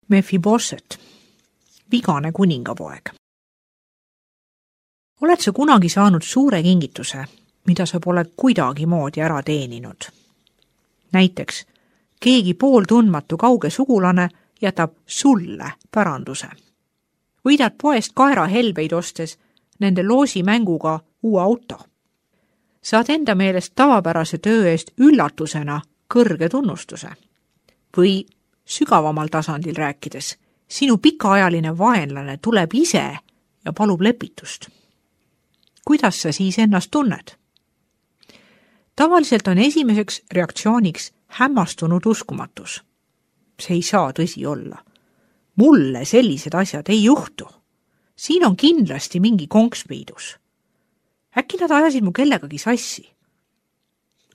Mephiboset, vigane kuningapoeg. Oled sa kunagi saanud suure kingituse, mida sa pole kuidagimoodi ära teeninud? Näiteks, keegi pooltundmatu kauge sugulane jätab sulle päranduse. Võidad poest kaerahelbeid ostes nende loosimänguga uue auto. Saad enda meelest tavapärase töö eest üllatusena kõrge tunnustuse. Või sügavamal tasandil rääkides, sinu pikaajaline vaenlane tuleb ise ja palub lepitust. Kuidas sa siis ennast tunned? Tavaliselt on esimeseks reaktsiooniks hämmastunud uskumatus. See ei saa tõsi olla. Mulle sellised asjad ei juhtu. Siin on kindlasti mingi konks peidus. Äkki nad ajasid mu kellegagi sassi?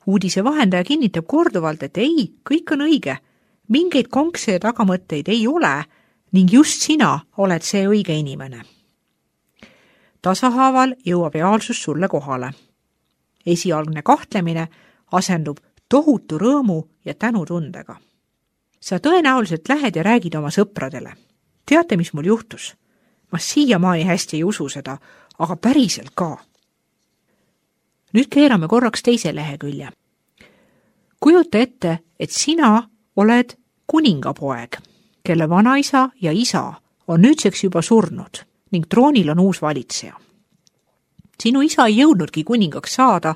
Uudise vahendaja kinnitab korduvalt, et ei, kõik on õige. Mingeid konkse ja tagamõtteid ei ole ning just sina oled see õige inimene. Tasahaaval jõuab reaalsus sulle kohale. Esialgne kahtlemine asendub tohutu rõõmu ja tänutundega. Sa tõenäoliselt lähed ja räägid oma sõpradele. Teate, mis mul juhtus? Ma siiamaani hästi ei usu seda, aga päriselt ka. Nüüd keerame korraks teise lehekülje. Kujuta ette, et sina oled kuningapoeg, kelle vanaisa ja isa on nüüdseks juba surnud ning troonil on uus valitseja. Sinu isa ei jõudnudki kuningaks saada,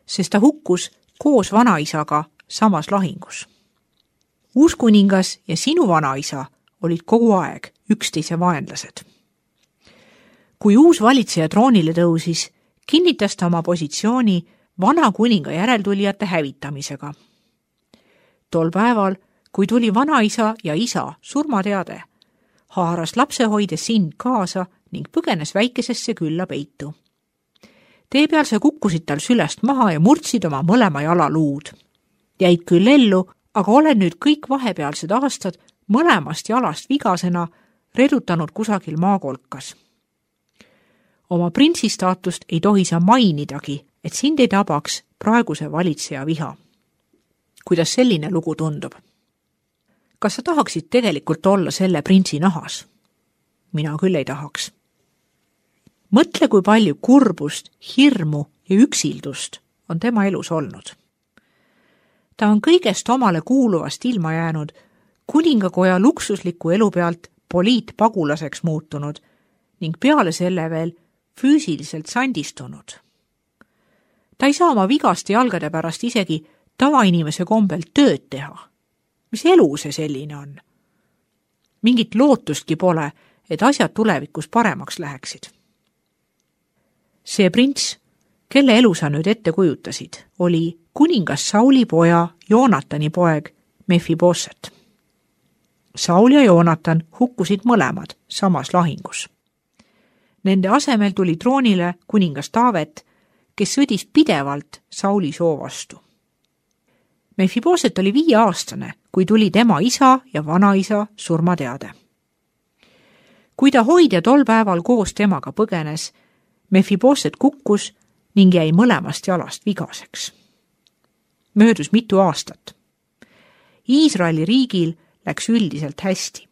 sest ta hukkus koos vanaisaga samas lahingus. Uus kuningas ja sinu vanaisa olid kogu aeg üksteise vaenlased. Kui uus valitseja troonile tõusis, kinnitas ta oma positsiooni vana kuninga järeltulijate hävitamisega. Tol päeval, kui tuli vanaisa ja isa surmateade, haaras lapsehoide sind kaasa ning põgenes väikesesse külla peitu. Tee peal sa kukkusid tal sülest maha ja murdsid oma mõlema jala luud. Jäid küll ellu, aga oled nüüd kõik vahepealsed aastad mõlemast jalast vigasena redutanud kusagil maakolkas. Oma printsistaatust ei tohi sa mainidagi, et sind ei tabaks praeguse valitseja viha. Kuidas selline lugu tundub? Kas sa tahaksid tegelikult olla selle printsi nahas? Mina küll ei tahaks. Mõtle, kui palju kurbust, hirmu ja üksildust on tema elus olnud. Ta on kõigest omale kuuluvast ilma jäänud, kuningakoja luksusliku elu pealt poliitpagulaseks muutunud ning peale selle veel füüsiliselt sandistunud. Ta ei saa oma vigaste jalgade pärast isegi tavainimese kombel tööd teha. Mis elu see selline on? Mingit lootustki pole, et asjad tulevikus paremaks läheksid. See prints, kelle elu sa nüüd ette kujutasid, oli kuningas Sauli poja Joonatani poeg Mephiboset. Saul ja Joonatan hukkusid mõlemad samas lahingus. Nende asemel tuli troonile kuningas Taavet, kes sõdis pidevalt Sauli soo vastu. Mephiboset oli 5-aastane, kui tuli tema isa ja vanaisa surmateade. Kui ta hoidja tol päeval koos temaga põgenes, Mephiboset kukkus ning jäi mõlemast jalast vigaseks. Möödus mitu aastat. Iisraeli riigil läks üldiselt hästi.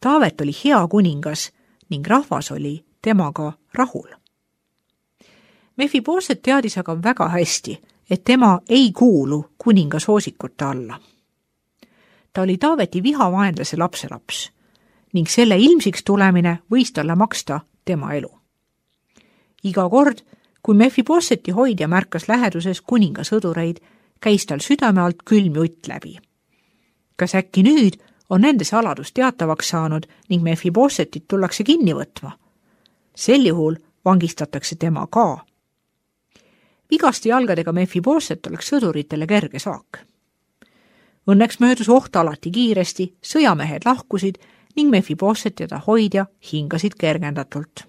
Taavet oli hea kuningas ning rahvas oli temaga rahul. Mephiboset teadis aga väga hästi, et tema ei kuulu kuninga soosikute alla. Ta oli Taaveti vihavaenlase lapselaps ning selle ilmsiks tulemine võis talle maksta tema elu. Iga kord, kui Mephiboseti hoidja märkas läheduses kuninga sõdureid, käis tal südame alt külm jutt läbi. Kas äkki nüüd on nende saladus teatavaks saanud ning Mephibosetit tullakse kinni võtma? Sel juhul vangistatakse tema ka. Vigaste jalgadega Mephiboset oleks sõduritele kerge saak. Õnneks möödus oht alati kiiresti, sõjamehed lahkusid ning Mephiboset ja ta hoidja hingasid kergendatult.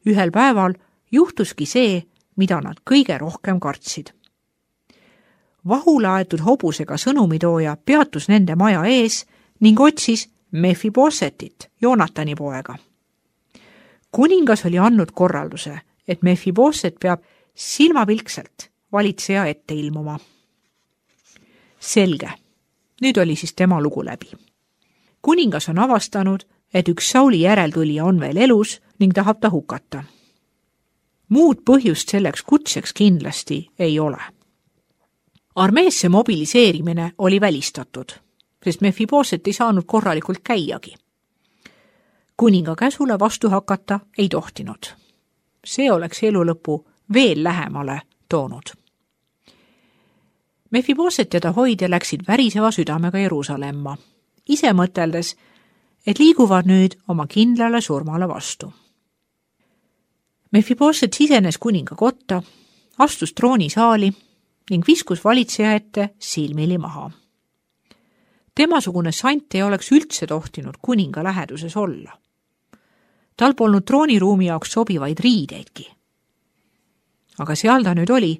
Ühel päeval juhtuski see, mida nad kõige rohkem kartsid. Vahule aetud hobusega sõnumitooja peatus nende maja ees ning otsis Mephibosetit, Joonatani poega. Kuningas oli andnud korralduse, et Mephiboset peab silmapilkselt valitseja ette ilmuma. Selge, nüüd oli siis tema lugu läbi. kuningas on avastanud, et üks Sauli järeltulija on veel elus ning tahab ta hukata. Muud põhjust selleks kutseks kindlasti ei ole. Armeesse mobiliseerimine oli välistatud, sest Mephiboset ei saanud korralikult käiagi. Kuninga käsule vastu hakata ei tohtinud. See oleks elu lõpu veel lähemale toonud. Mephiboset ja ta hoidja läksid väriseva südamega Jeruusalemma, ise mõteldes, et liiguvad nüüd oma kindlale surmale vastu. Mephiboset sisenes kuninga kotta, astus troonisaali ning viskus valitseja ette silmili maha. Temasugune sant ei oleks üldse tohtinud kuninga läheduses olla. Tal polnud trooniruumi jaoks sobivaid riideidki. Aga seal ta nüüd oli,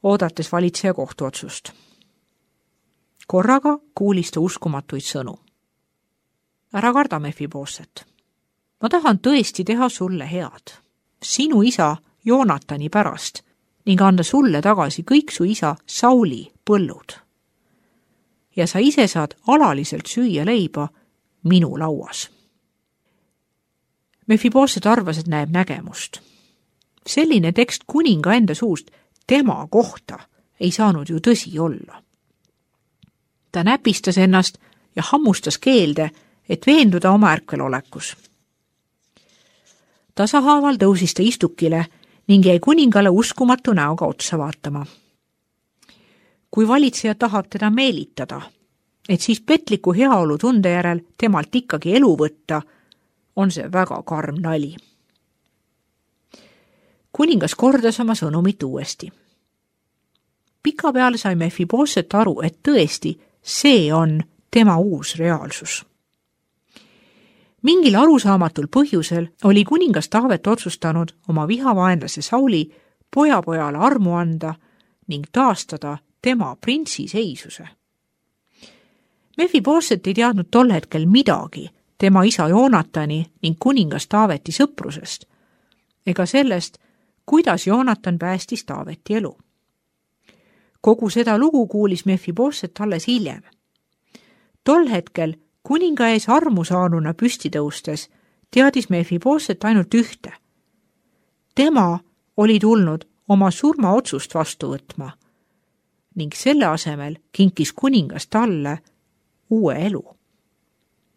oodates valitseja kohtuotsust. Korraga kuulis ta uskumatuid sõnu. Ära karda, Mephiboset. Ma tahan tõesti teha sulle head. Sinu isa Joonatani pärast ning anda sulle tagasi kõik su isa Sauli põllud. Ja sa ise saad alaliselt süüa leiba minu lauas. Mephiboset arvas, et näeb nägemust. Selline tekst kuninga enda suust tema kohta ei saanud ju tõsi olla. Ta näpistas ennast ja hammustas keelde, et veenduda oma ärkvelolekus. Tasahaaval tõusis ta istukile ning jäi kuningale uskumatu näoga otsa vaatama. Kui valitseja tahab teda meelitada, et siis petliku heaolu tunde järel temalt ikkagi elu võtta, on see väga karm nali. Kuningas kordas oma sõnumit uuesti. Pikapeale sai Mephiboset aru, et tõesti see on tema uus reaalsus. Mingil arusaamatul põhjusel oli kuningas Taavet otsustanud oma vihavaenlase Sauli pojapojale armu anda ning taastada tema printsi seisuse. Mephiboset ei teadnud tol hetkel midagi tema isa Joonatani ning kuningas Taaveti sõprusest ega sellest, kuidas Joonatan päästis Taaveti elu. Kogu seda lugu kuulis Mephiboset alles hiljem. Tol hetkel kuninga ees armu saanuna püsti tõustes teadis Mephiboset ainult ühte. Tema oli tulnud oma surmaotsust vastu võtma ning selle asemel kinkis kuningas talle uue elu.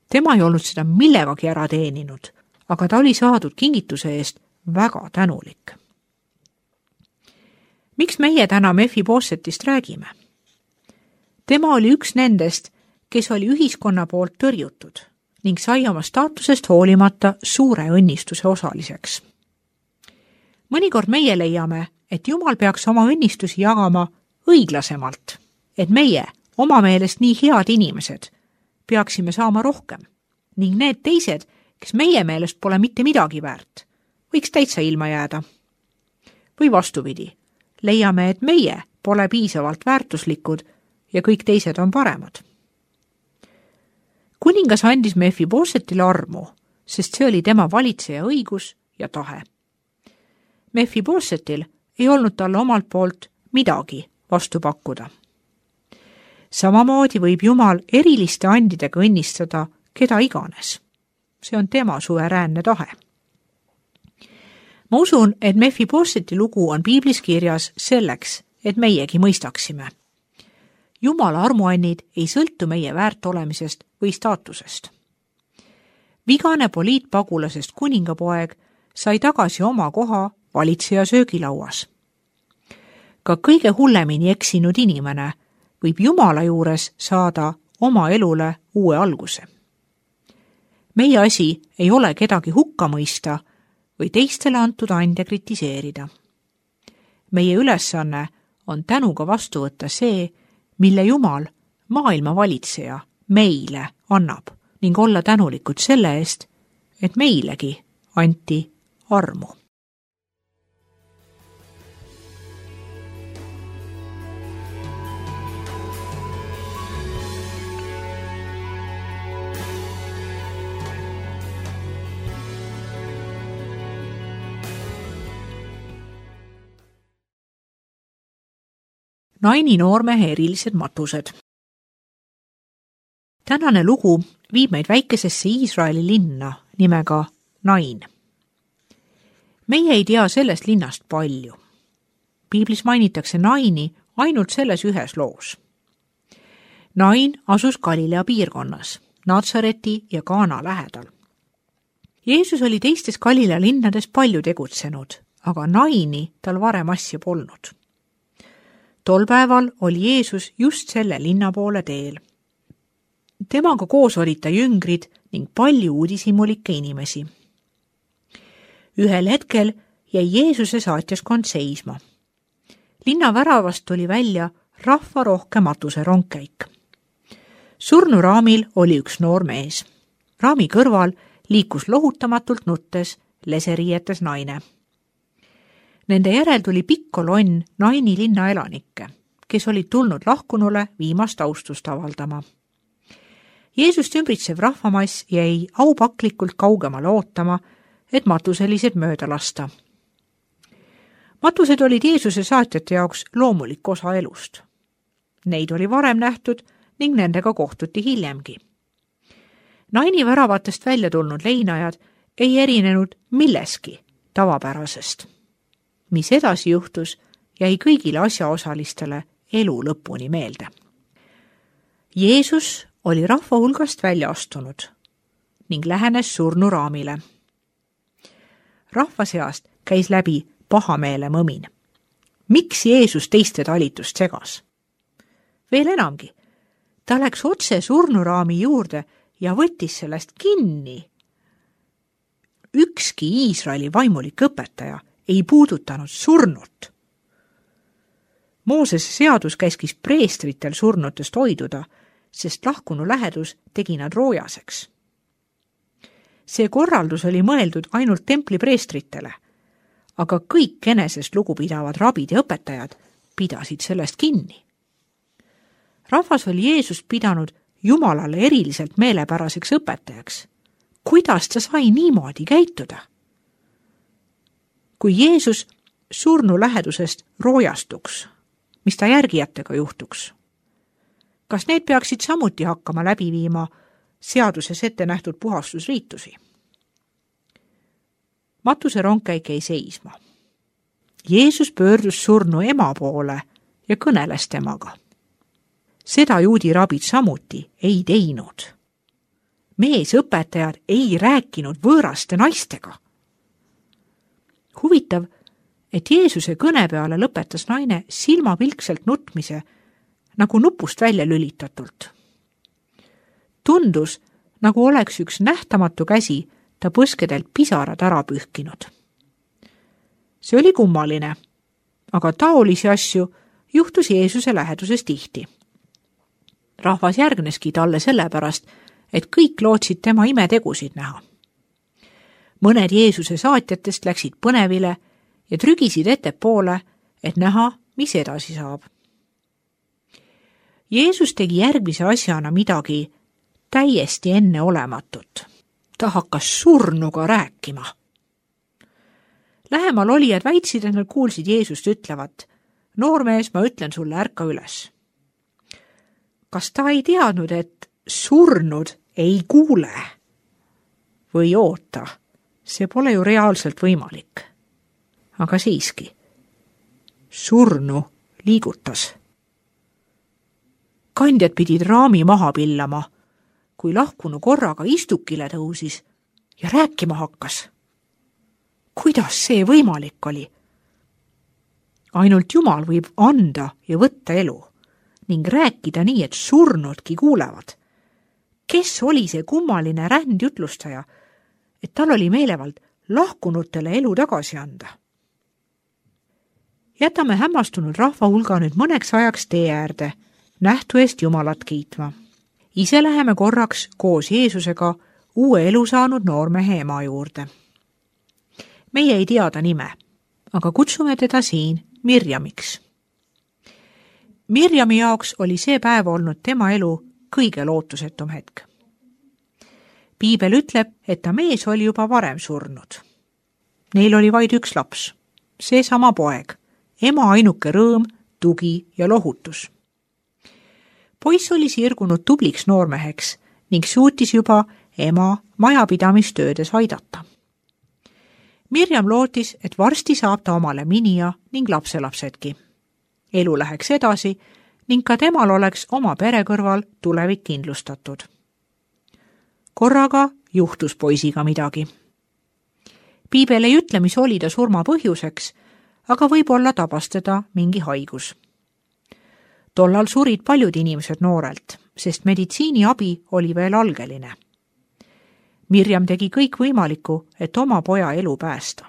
Tema ei olnud seda millegagi ära teeninud, aga ta oli saadud kingituse eest väga tänulik. Miks meie täna Mephibosetist räägime? Tema oli üks nendest, kes oli ühiskonna poolt tõrjutud ning sai oma staatusest hoolimata suure õnnistuse osaliseks. Mõnikord meie leiame, et Jumal peaks oma õnnistusi jagama õiglasemalt, et meie, oma meelest nii head inimesed, peaksime saama rohkem ning need teised, kes meie meelest pole mitte midagi väärt, võiks täitsa ilma jääda. Või vastupidi, leiame, et meie pole piisavalt väärtuslikud ja kõik teised on paremad. Kuningas andis Mephibosetile armu, sest see oli tema valitseja õigus ja tahe. Mephibosetil ei olnud talle omalt poolt midagi vastu pakkuda. Samamoodi võib Jumal eriliste andidega õnnistada keda iganes. See on tema suveräänne tahe. Ma usun, et Mephiboseti lugu on piiblis kirjas selleks, et meiegi mõistaksime. Jumala armuannid ei sõltu meie väärt olemisest või staatusest. Vigane poliitpagulasest kuningapoeg sai tagasi oma koha valitseja söögilauas. Ka kõige hullemini eksinud inimene võib Jumala juures saada oma elule uue alguse. Meie asi ei ole kedagi hukka mõista või teistele antud ande kritiseerida. Meie ülesanne on tänuga vastu võtta see, mille Jumal, maailma valitseja, meile annab ning olla tänulikud selle eest, et meilegi anti armu. Naini noormehe erilised matused. tänane lugu viib meid väikesesse Iisraeli linna nimega Nain. Meie ei tea sellest linnast palju. Piiblis mainitakse Naini ainult selles ühes loos. Nain asus Galilea piirkonnas, Natsareti ja Kaana lähedal. Jeesus oli teistes Galilea linnades palju tegutsenud, aga Naini tal varem asja polnud. Tol päeval oli Jeesus just selle linna poole teel. Temaga koos olid ta jüngrid ning palju uudishimulikke inimesi. Ühel hetkel jäi Jeesuse saatjaskond seisma. Linna väravast tuli välja rahvarohke matuserongkäik. Surnuraamil oli üks noor mees. Raami kõrval liikus lohutamatult nuttes leseriietes naine. Nende järel tuli pikk kolonn Naini linna elanikke, kes olid tulnud lahkunule viimast austust avaldama. Jeesust ümbritsev rahvamass jäi aupaklikult kaugemale ootama, et matuselised mööda lasta. Matused olid Jeesuse saatjate jaoks loomulik osa elust. Neid oli varem nähtud ning nendega kohtuti hiljemgi. Naini väravatest välja tulnud leinajad ei erinenud milleski tavapärasest. Mis edasi juhtus, jäi kõigile asjaosalistele elu lõpuni meelde. Jeesus oli rahva hulgast välja astunud ning lähenes surnuraamile. Rahva seast käis läbi pahameele mõmin. Miks Jeesus teiste talitust segas? Veel enamgi, ta läks otse surnuraami juurde ja võttis sellest kinni. Ükski Iisraeli vaimulik õpetaja ei puudutanud surnut. Moosese seadus käskis preestritel surnutest hoiduda, sest lahkunu lähedus tegi nad roojaseks. See korraldus oli mõeldud ainult templi preestritele, aga kõik enesest lugupidavad rabid ja õpetajad pidasid sellest kinni. Rahvas oli Jeesust pidanud Jumalale eriliselt meelepäraseks õpetajaks. Kuidas ta sai niimoodi käituda? Kui Jeesus surnu lähedusest roojastuks, mis ta järgijatega juhtuks? Kas need peaksid samuti hakkama läbi viima seaduses ette nähtud puhastusriitusi? Matuserongkäik jäi seisma. Jeesus pöördus surnu ema poole ja kõneles temaga. Seda juudi rabid samuti ei teinud. Meesõpetajad ei rääkinud võõraste naistega. Huvitav, et Jeesuse kõne peale lõpetas naine silmapilkselt nutmise, nagu nupust välja lülitatult. Tundus, nagu oleks üks nähtamatu käsi ta põskedelt pisarad ära pühkinud. See oli kummaline, aga taolisi asju juhtus Jeesuse läheduses tihti. Rahvas järgneski talle sellepärast, et kõik lootsid tema imetegusid näha. Mõned Jeesuse saatjatest läksid põnevile ja trügisid ettepoole, et näha, mis edasi saab. Jeesus tegi järgmise asjana midagi täiesti enneolematut. Ta hakkas surnuga rääkima. Lähemal olijad väitsid, et nad kuulsid Jeesust ütlevat, noormees, ma ütlen sulle, ärka üles. Kas ta ei teadnud, et surnud ei kuule? Või oota, see pole ju reaalselt võimalik. Aga siiski, surnu liigutas. Kandjad pidid raami maha pillama, kui lahkunu korraga istukile tõusis ja rääkima hakkas. Kuidas see võimalik oli? Ainult Jumal võib anda ja võtta elu ning rääkida nii, et surnudki kuulevad. Kes oli see kummaline rändjutlustaja, et tal oli meelevald lahkunutele elu tagasi anda? Jätame hämmastunud rahva hulga nüüd mõneks ajaks tee äärde, nähtu eest Jumalat kiitma. Ise läheme korraks koos Jeesusega uue elu saanud noormehe ema juurde. Meie ei tea ta nime, aga kutsume teda siin Mirjamiks. Mirjami jaoks oli see päev olnud tema elu kõige lootusetum hetk. Piibel ütleb, et ta mees oli juba varem surnud. Neil oli vaid üks laps, seesama poeg, ema ainuke rõõm, tugi ja lohutus. Poiss oli sirgunud tubliks noormeheks ning suutis juba ema majapidamistöödes aidata. Mirjam lootis, et varsti saab ta omale minija ning lapselapsedki. Elu läheks edasi ning ka temal oleks oma pere kõrval tulevik kindlustatud. Korraga juhtus poisiga midagi. Piibel ei ütle, mis oli ta surma põhjuseks, aga võib-olla tabas teda mingi haigus. Tollal surid paljud inimesed noorelt, sest meditsiiniabi oli veel algeline. Mirjam tegi kõik võimalikku, et oma poja elu päästa.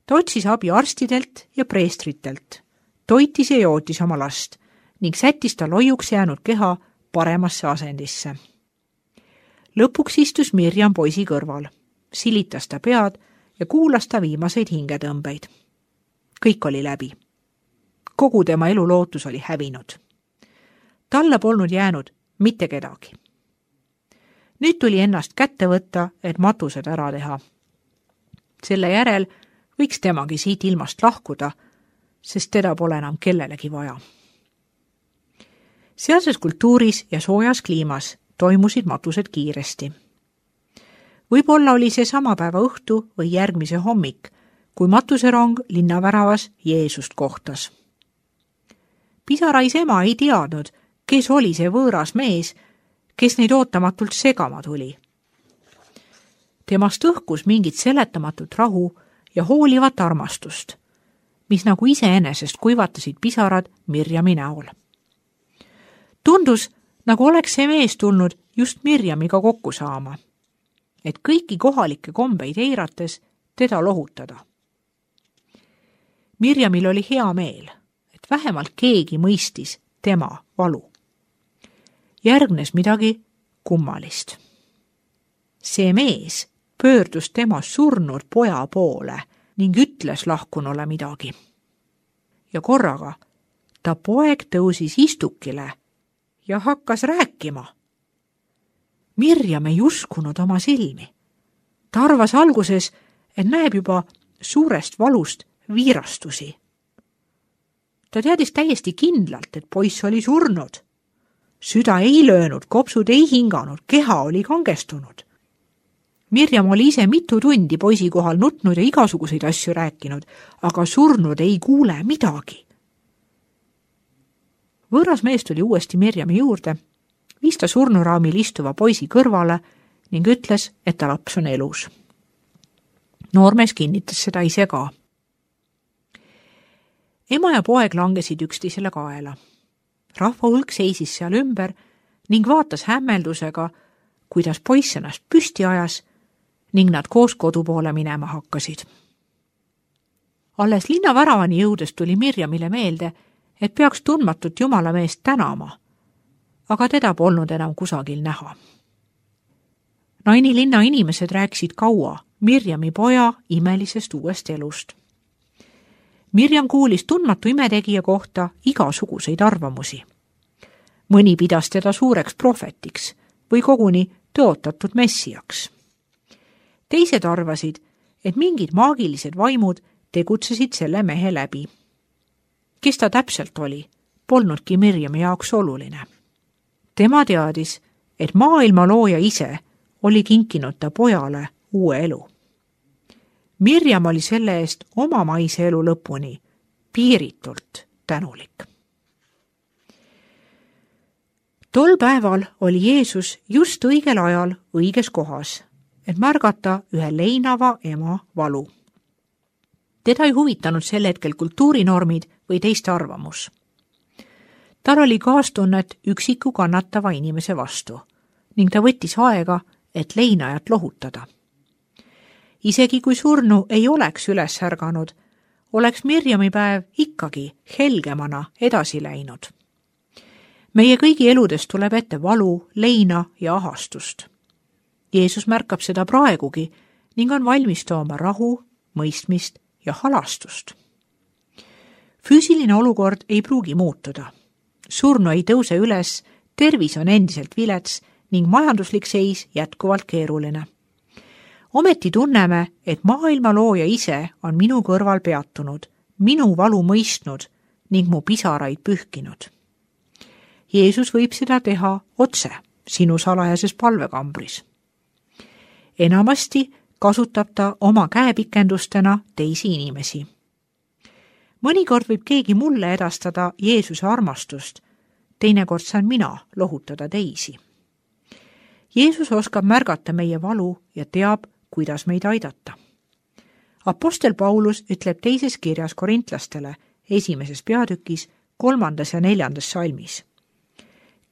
Ta otsis abi arstidelt ja preestritelt, toitis ja jootis oma last ning sättis ta loiuks jäänud keha paremasse asendisse. Lõpuks istus Mirjam poisi kõrval, silitas ta pead ja kuulas ta viimaseid hingetõmbeid. Kõik oli läbi. Kogu tema elu lootus oli hävinud. Talle polnud jäänud mitte kedagi. Nüüd tuli ennast kätte võtta, et matused ära teha. Selle järel võiks temagi siit ilmast lahkuda, sest teda pole enam kellelegi vaja. Sealses kultuuris ja soojas kliimas toimusid matused kiiresti. Võib-olla oli see sama päeva õhtu või järgmise hommik, kui matuserong linnaväravas Jeesust kohtas. Pisarais ema ei teadnud, kes oli see võõras mees, kes neid ootamatult segama tuli. Temast õhkus mingit seletamatut rahu ja hoolivat armastust, mis nagu iseenesest kuivatasid pisarad Mirjami näol. Tundus, nagu oleks see mees tulnud just Mirjamiga kokku saama, et kõiki kohalikke kombeid eirates teda lohutada. Mirjamil oli hea meel, et vähemalt keegi mõistis tema valu. Järgnes midagi kummalist. See mees pöördus tema surnud poja poole ning ütles lahkunule midagi. Ja korraga ta poeg tõusis istukile ja hakkas rääkima. Mirjam ei uskunud oma silmi. Ta arvas alguses, et näeb juba suurest valust viirastusi. Ta teadis täiesti kindlalt, et poiss oli surnud. Süda ei löönud, kopsud ei hinganud, keha oli kangestunud. Mirjam oli ise mitu tundi poisi kohal nutnud ja igasuguseid asju rääkinud, aga surnud ei kuule midagi. Võõras mees tuli uuesti Mirjami juurde, viis ta surnuraamil istuva poisi kõrvale ning ütles, et ta laps on elus. Noormees kinnitas seda ise ka. Ema ja poeg langesid üksteisele kaela. Rahva hulk seisis seal ümber ning vaatas hämmeldusega, kuidas poiss ennast püsti ajas ning nad koos kodu poole minema hakkasid. Alles linnaväravani jõudes tuli Mirjamile meelde, et peaks tundmatut jumalameest tänama, aga teda polnud enam kusagil näha. Naini linna inimesed rääkisid kaua Mirjami poja imelisest uuest elust. Mirjam kuulis tundmatu imetegija kohta igasuguseid arvamusi. Mõni pidas teda suureks prohvetiks või koguni tõotatud messiaks. Teised arvasid, et mingid maagilised vaimud tegutsesid selle mehe läbi. Kes ta täpselt oli, polnudki Mirjami jaoks oluline. Tema teadis, et maailma looja ise oli kinkinud ta pojale uue elu. Mirjam oli selle eest oma maise elu lõpuni piiritult tänulik. Tol päeval oli Jeesus just õigel ajal õiges kohas, et märgata ühe leinava ema valu. Teda ei huvitanud sel hetkel kultuurinormid või teiste arvamus. Tal oli kaastunnet üksiku kannatava inimese vastu ning ta võttis aega, et leinajat lohutada. Isegi kui surnu ei oleks üles ärganud, oleks Mirjami päev ikkagi helgemana edasi läinud. Meie kõigi eludes tuleb ette valu, leina ja ahastust. Jeesus märkab seda praegugi ning on valmis tooma rahu, mõistmist ja halastust. Füüsiline olukord ei pruugi muutuda. Surnu ei tõuse üles, tervis on endiselt vilets ning majanduslik seis jätkuvalt keeruline. Ometi tunneme, et maailma looja ise on minu kõrval peatunud, minu valu mõistnud ning mu pisaraid pühkinud. Jeesus võib seda teha otse sinu salajases palvekambris. Enamasti kasutab ta oma käepikendustena teisi inimesi. Mõnikord võib keegi mulle edastada Jeesuse armastust, teinekord saan mina lohutada teisi. Jeesus oskab märgata meie valu ja teab, kuidas meid aidata. Apostel Paulus ütleb teises kirjas korintlastele 1. peatükis 3. ja 4. salmis.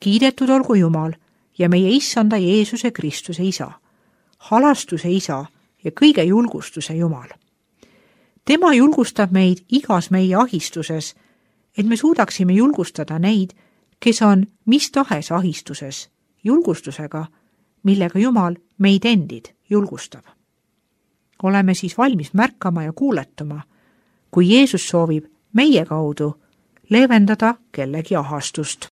Kiidetud olgu Jumal ja meie Issanda Jeesuse Kristuse Isa, halastuse Isa ja kõige julgustuse Jumal. Tema julgustab meid igas meie ahistuses, et me suudaksime julgustada neid, kes on mis tahes ahistuses, julgustusega, millega Jumal meid endid julgustab. Oleme siis valmis märkama ja kuuletuma, kui Jeesus soovib meie kaudu leevendada kellegi ahastust.